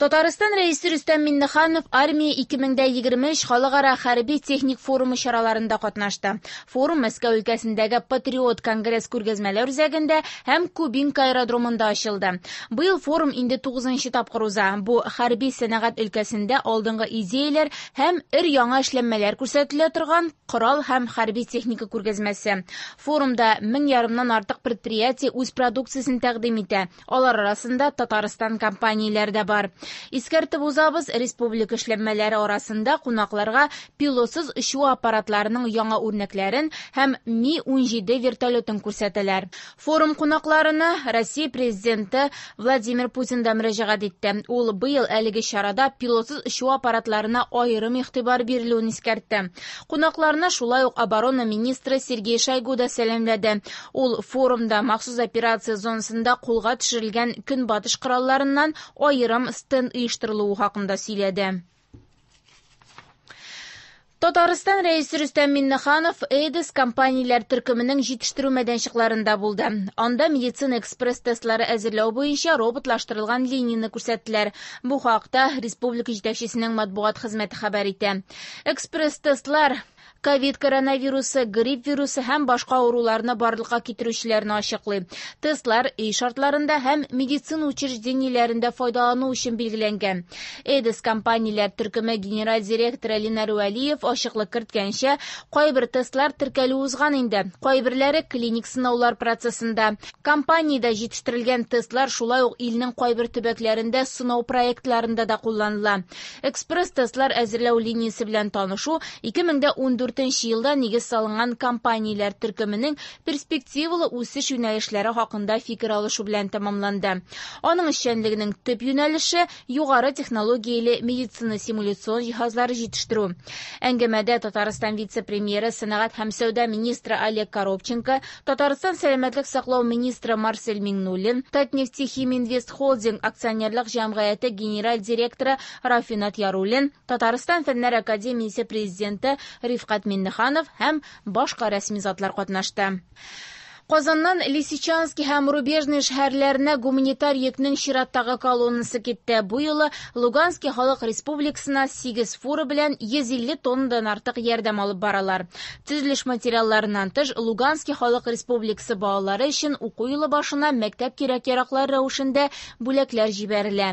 Татарстан Рәисе Рөстәм Миңнеханов Армия 2023 халыкара хәрби-техник форумы чараларында катнашты. Форум Мәскәү өлкәсендәге Патриот конгресс күргәзмәләр үзәгендә һәм Кубинка аэродромында ачылды. Быел форум инде 9 тапкыр уза. Бу хәрби сәнәгать өлкәсендә алдынгы идеяләр һәм өр-яңа эшләнмәләр күрсәтелә торган корал һәм хәрби техника күргәзмәсе. Форумда 1500-ннан артык предприятие үз продукциясен тәкъдим итә. Алар арасында Татарстан компанияләре дә бар. Искәртеп узабыз, республика эшләнмәләре арасында кунакларга пилотсыз очу аппаратларының яңа үрнәкләрен һәм Ми-17 вертолетын күрсәтәләр. Форум кунакларына Россия президенты Владимир Путин да мөрәҗәгать итте. Ул быел әлеге чарада пилотсыз очу аппаратларына аерым игътибар бирелүен искәртте. Кунакларны шулай ук оборона министры Сергей Шойгу да сәламләде. Ул форумда махсус операция зонасында кулга төшерелгән көнбатыш коралларыннан аерым стенд оештырылуы хакында сөйләде. Татарстан Рәисе Рөстәм Миңнеханов Эйдес компанияләр төркеменең җитештерү мәйданчыкларында булды. Анда медицина экспресс-тестлары әзерләү буенча роботлаштырылган линияне күрсәттеләр. Бу хакта республика җитәкчесенең матбугат хезмәте хәбәр итә. Экспресс-тестлар ковид коронавирусы, грипп вирусы һәм башка авыруларны барлыкка китерүчеләрне ачыклый. Тестлар өй шартларында һәм медицина учреждениеләрендә файдалану өчен билгеләнгән. Эдис компанияләр төркеме генераль директоры Ленар Вәлиев ачыклык керткәнчә, кайбер тестлар теркәлү узган инде, кайберләре клиник сынаулар процессында. Компаниядә җитештерелгән тестлар шулай ук илнең кайбер төбәкләрендә сынау проектларында да кулланыла. Экспресс-тестлар әзерләү линиясе белән танышу 2014 елда нигез салынган компанияләр төркеменең перспективалы үсеш юнәлешләре хакында фикер алышу белән тәмамланды. Аның эшчәнлегенең төп юнәлеше югары технологияле медицина симуляцион җиһазлары җитештерү. Әңгәмәдә Татарстан вице-премьеры, сәнәгать һәм сәүдә министры Олег Коробченко, Татарстан сәламәтлек саклау министры Марсель Миңнуллин, Татнефтехиминвест Холдинг акционерлык җәмгыяте генераль директоры Рафинат Яруллин, Татарстан Фәннәр академиясе президенты Рифкать Миңнеханов һәм башка рәсми затлар катнашты. Казаннан Лисичанский һәм Рубежный шәһәрләренә гуманитар йөкнең чираттагы колоннасы китте. Бу юлы Луганский халык республикасына 8 фура белән 150 тоннадан артык ярдәм алып баралар. Төзелеш материалларыннан тыш Луганский халык республикасы балалары өчен уку елы башына мәктәп кирәк-яраклары рәвешендә бүләкләр җибәрелә.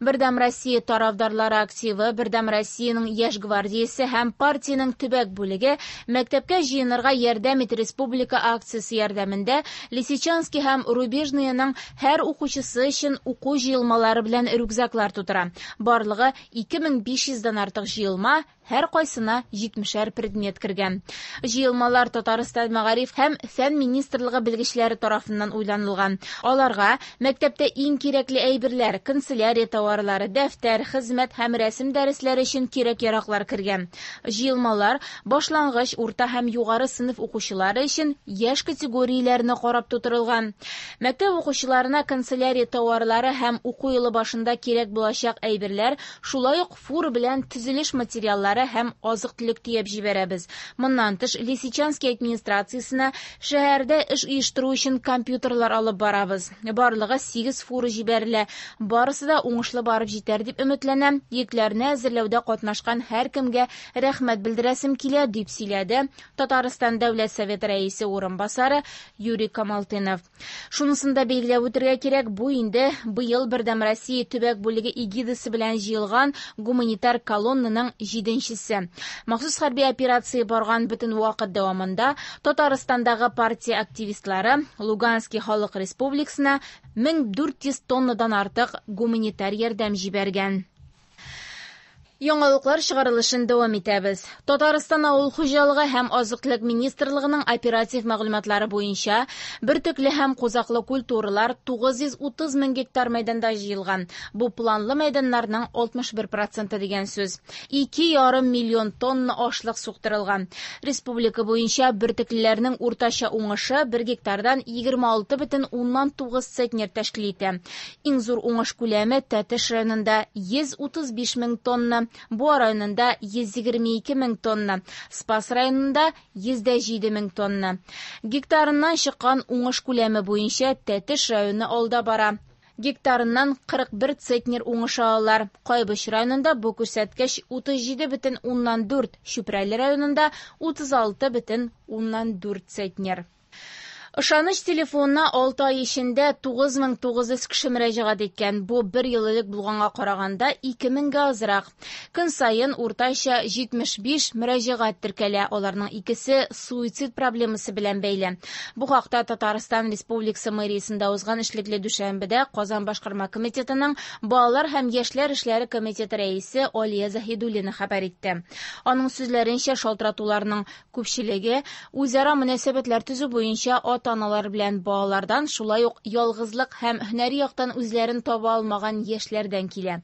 Бердәм Россия тарафдарлары активы, Бердәм Россиянең яшь гвардиясе һәм партиянең төбәк бүлеге мәктәпкә җыенырга ярдәм ит республика акциясе ярдәмендә Лисичанский һәм Рубежныйның һәр укучысы өчен уку җыелмалары белән рюкзаклар тутыра. Барлыгы 2500-дән артык җыелма, һәр кайсына 70-әр предмет кергән. Җыелмалар Татарстан мәгариф һәм фән министрлыгы белгечләре тарафыннан уйланылган. Аларга мәктәптә иң кирәкле әйберләр, канцелярия товарлары, дәфтәр, хезмәт һәм рәсем дәресләре өчен кирәк-яраклар кергән. Җыелмалар башлангыч, урта һәм югары сыйныф укучылары өчен яшь категорияләренә карап тутырылган. Мәктәп укучыларына канцелярия товарлары һәм уку елы башында кирәк булачак әйберләр, шулай ук фура белән төзелеш материаллары һәм азык-төлек төяп җибәрәбез. Моннан тыш Лисичанский администрациясенә шәһәрдә эш оештыру өчен компьютерлар алып барабыз. Барлыгы 8 фура җибәрелә. Барысы да уңышлы барып җитәр дип өметләнәм. Йөкләрне әзерләүдә катнашкан һәркемгә рәхмәт белдерәсем килә, дип сөйләде Татарстан Дәүләт Советы рәисе урынбасары Юрий Камалтынов. Шунысын да билгеләп үтергә кирәк, бу инде быел Бердәм Россия төбәк бүлеге эгидасы белән җыелган гуманитар колоннаның 7-нчесе. Махсус хәрби операция барган бөтен вакыт дәвамында Татарстандагы партия активистлары Луганский халык республикасына 1400 тоннадан артык гуманитар ярдәм җибәргән. Яңалыклар чыгарылышын дәвам итәбез. Татарстан авыл хуҗалыгы һәм азык-төлек министрлыгының оператив мәгълүматлары буенча бөртекле һәм кузаклы культуралар 930 мең гектар мәйданда җыелган. Бу планлы мәйданнарның 61% дигән сүз. Ике ярым миллион тонна ашлык суктырылган. Республика буенча бөртеклеләрнең уртача уңышы бер гектардан егерме алты бөтен уннан тугыз центнер тәшкил итә. Иң зур уңыш күләме Тәтеш районында 135 мең тонна, Буа районында 122 мең тонна, Спас районында 107 мең тонна. Гектарыннан чыккан уңыш күләме буенча Тәтеш районы алда бара. Гектарыннан 41 центнер уңыш алалар. Кайбыч районында бу күрсәткеч 37,4, Чүпрәле районында 36,4 центнер. Ышаныч телефонына 6 ай эчендә 9900 кеше мөрәҗәгать иткән. Бу бер ел элек булганга караганда 2000гә азрак. Көн саен уртача 75 мөрәҗәгать теркәлә. Аларның икесе суицид проблемасы белән бәйле. Бу хакта Татарстан Республикасы мэриясендә узган эшлекле дүшәмбедә Казан башкарма комитетының балалар һәм яшьләр эшләре комитеты рәисе Алия Заһидуллина хәбәр итте. Аның сүзләренчә, шалтыратуларның күпчелеге үзара мөнәсәбәтләр төзү буенча ата-аналар белән балалардан, шулай ук ялгызлык һәм һөнәри яктан үзләрен таба алмаган яшьләрдән килә.